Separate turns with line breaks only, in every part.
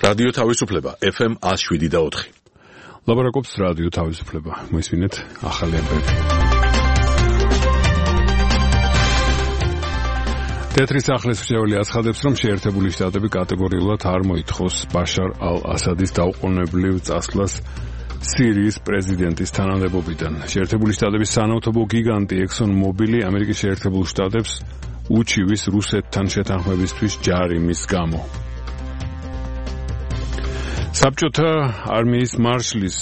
რადიო თავისუფლება FM 107.4.
ლაბორაკობს რადიო თავისუფლება. მოისმინეთ ახალი ამბები. თეთრი სახლის მრჩეველი აცხადებს, რომ შეერთებული შტატები კატეგორიულად არ მოითხოვს ბაშარ ალ-ასადის დაუყოვნებლივ წასვლას სირიის პრეზიდენტის თანამდებობიდან. შეერთებული შტატების სანავთობო გიგანტი ExxonMobil ამერიკის შეერთებულ შტატებს უჩივის რუსეთთან შეთანხმებისთვის ჯარიმის გამო. საბჭოთა არმიის მარშლის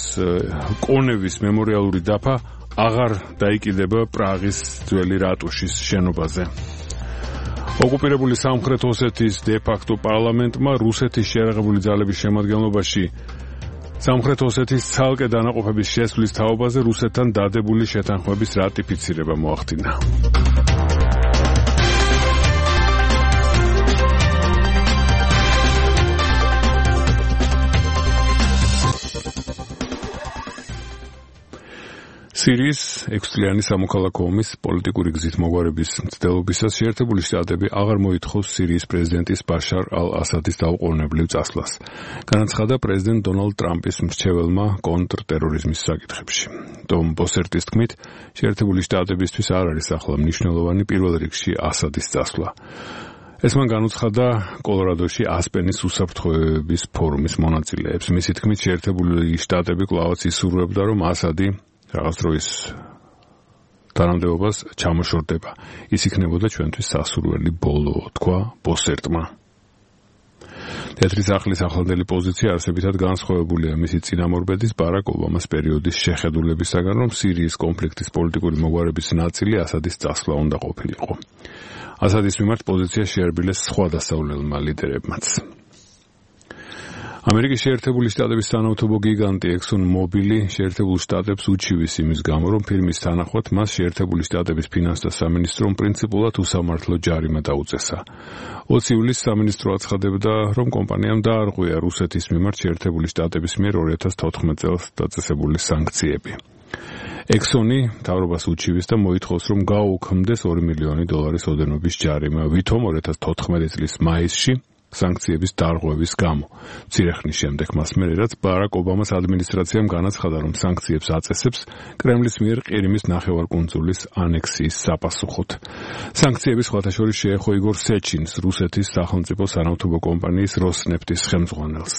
კონევის მემორიალური დაფა აღარ დაიკიდება პრაღის ძველი რატუშის შენობაზე. ოკუპირებული სამხრეთ ოსეთის დე-ფაქტო პარლამენტმა რუსეთის შეიარაღებული ძალების შემადგენლობაში სამხრეთ ოსეთის ცალკე დანაყოფების შესვლის თაობაზე რუსეთთან დადებული შეთანხმების რატიფიცირება მოახდინა. სირიის 6-წლიანი სამოქალაქო ომის პოლიტიკური გზით მოგვარების მცდელობისას შეერთებული შტატები აღარ მოითხოვს სირიის პრეზიდენტის ბაშარ ალ-ასადის დაუყოვნებლივ წასვლას. განაცხადა პრეზიდენტ დონალდ ტრამპის მრჩეველმა კონტრტერორიზმის საკითხებში. ტომ ბოსერტის თქმით, შეერთებული შტატებისთვის არ არის ახლა მნიშვნელოვანი პირველ რიგში ასადის წასვლა. ეს მან განუცხადა კოლორადოში ასპენის უსაფრთხოების ფორუმის მონაწილეებს. მისი თქმით, შეერთებული შტატები კვლავაც ისურვებდა, რომ ასადი რაღაც დროის თანამდებობას ჩამოშორდება. ის იქნებოდა ჩვენთვის სასურველი ბოლო, თქვა ბოსერტმა. თეთრი სახლის ახლანდელი პოზიცია არსებითად განსხვავებულია მისი წინამორბედის ბარაკ ობამას პერიოდის შეხედულებისაგან, რომ სირიის კონფლიქტის პოლიტიკური მოგვარების ნაწილი ასადის წასვლა უნდა ყოფილიყო. ასადის მიმართ პოზიცია შეერბილეს სხვა დასავლელმა ლიდერებმაც. ამერიკის შეერთებული შტატების სანავთობო გიგანტი ExxonMobil შეერთებულ შტატებს უჩივის იმის გამო, რომ ფირმის თანახმად მას შეერთებული შტატების ფინანსთა სამინისტრომ პრინციპულად უსამართლო ჯარიმა დაუწესა. 20 ივლისს სამინისტრო აცხადებდა, რომ კომპანიამ დაარღვია რუსეთის მიმართ შეერთებული შტატების მიერ 2014 წელს დაწესებული სანქციები. Exxon-ი მთავრობას უჩივის და მოითხოვს, რომ გაუქმდეს $2 მილიონი ოდენობის ჯარიმა, ვითომ 2014 წლის მაისში სანქციების დარღვევის გამო. მცირე ხნის შემდეგ მას მერე, რაც ბარაკ ობამას ადმინისტრაციამ განაცხადა, რომ სანქციებს აწესებს კრემლის მიერ ყირიმის ნახევარკუნძულის ანექსიის საპასუხოდ. სანქციები სხვათა შორის შეეხო იგორ სეჩინს, რუსეთის სახელმწიფო სანავთობო კომპანიის როსნეფტის ხელმძღვანელს.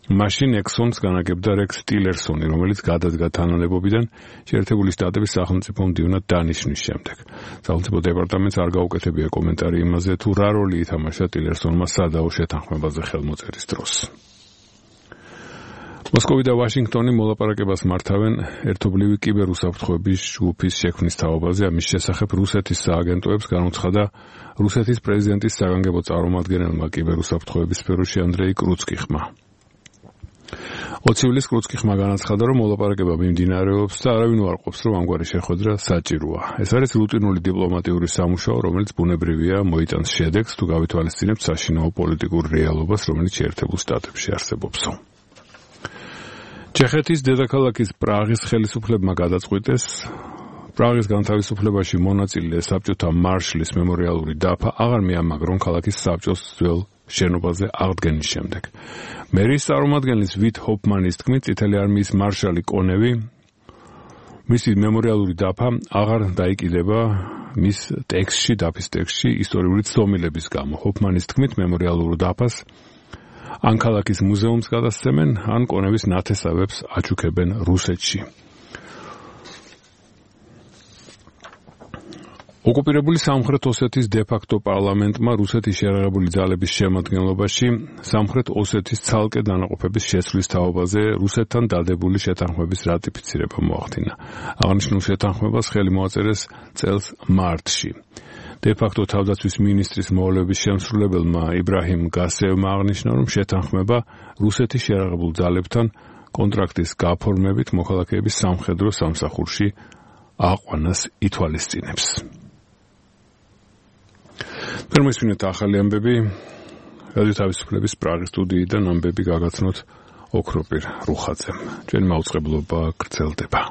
მაშინ Exxon-ს განაგებდა რექს ტილერსონი, რომელიც გადადგა თანამდებობიდან შეერთებული შტატების სახელმწიფო მდივნად დანიშნვის შემდეგ. სახელმწიფო დეპარტამენტს არ გაუკეთებია კომენტარი იმაზე, თუ რა როლი ითამაშა ტილერსონმა სადაო შეთანხმებაზე ხელმოწერის დროს. მოსკოვი და ვაშინგტონი მოლაპარაკებას მართავენ ერთობლივი კიბერუსაფრთხოების ჯგუფის შექმნის თაობაზე. ამის შესახებ რუსეთის სააგენტოებს განუცხადა რუსეთის პრეზიდენტის საგანგებო წარმომადგენელმა კიბერუსაფრთხოების სფეროში ანდრეი კრუცკიხმა. 20 ივლისს კრუცკიხმა განაცხადა, რომ მოლაპარაკება მიმდინარეობს და არავინ უარყოფს, რომ ამგვარი შეხვედრა საჭიროა. ეს არის რუტინული დიპლომატიური სამუშაო, რომელიც ბუნებრივია მოიტანს შედეგს, თუ გავითვალისწინებთ საშინაო პოლიტიკურ რეალობას, რომელიც შეერთებულ შტატებში არსებობს. ჩეხეთის დედაქალაქის პრაღის ხელისუფლებმა გადაწყვიტეს, პრაღის განთავისუფლებაში მონაწილე საბჭოთა მარშლის მემორიალური დაფა აღარ მიამაგრონ ქალაქის საბჭოს ძველ შენობაზე აღდგენის შემდეგ. მერის წარმომადგენლის ვით ჰოფმანის თქმით, წითელი არმიის მარშალი კონევი მისი მემორიალური დაფა აღარ დაიკიდება მის ტექსტში, დაფის ტექსტში ისტორიული ცდომილების გამო. ჰოფმანის თქმით, მემორიალურ დაფას ან ქალაქის მუზეუმს გადასცემენ, ან კონევის ნათესავებს აჩუქებენ რუსეთში. ოკუპირებული სამხრეთ ოსეთის დე-ფაქტო პარლამენტმა რუსეთის შეიარაღებული ძალების შემადგენლობაში სამხრეთ ოსეთის ცალკე დანაყოფების შესვლის თაობაზე რუსეთთან დადებული შეთანხმების რატიფიცირება მოახდინა. აღნიშნულ შეთანხმებას ხელი მოაწერეს წელს მარტში. დე-ფაქტო თავდაცვის მინისტრის მოვალეობის შემსრულებელმა იბრაჰიმ გასევმა აღნიშნა, რომ შეთანხმება რუსეთის შეიარაღებულ ძალებთან კონტრაქტის გაფორმებით მოქალაქეების სამხედრო სამსახურში აყვანას ითვალისწინებს. Permesvinეთ ახალი ამბები რადიო თავისუფლების პრაღის სტუდიიდან ამბები გაგაცნოთ ოქროპირ რუხაძემ. ჩვენი მაუწყებლობა გრძელდება.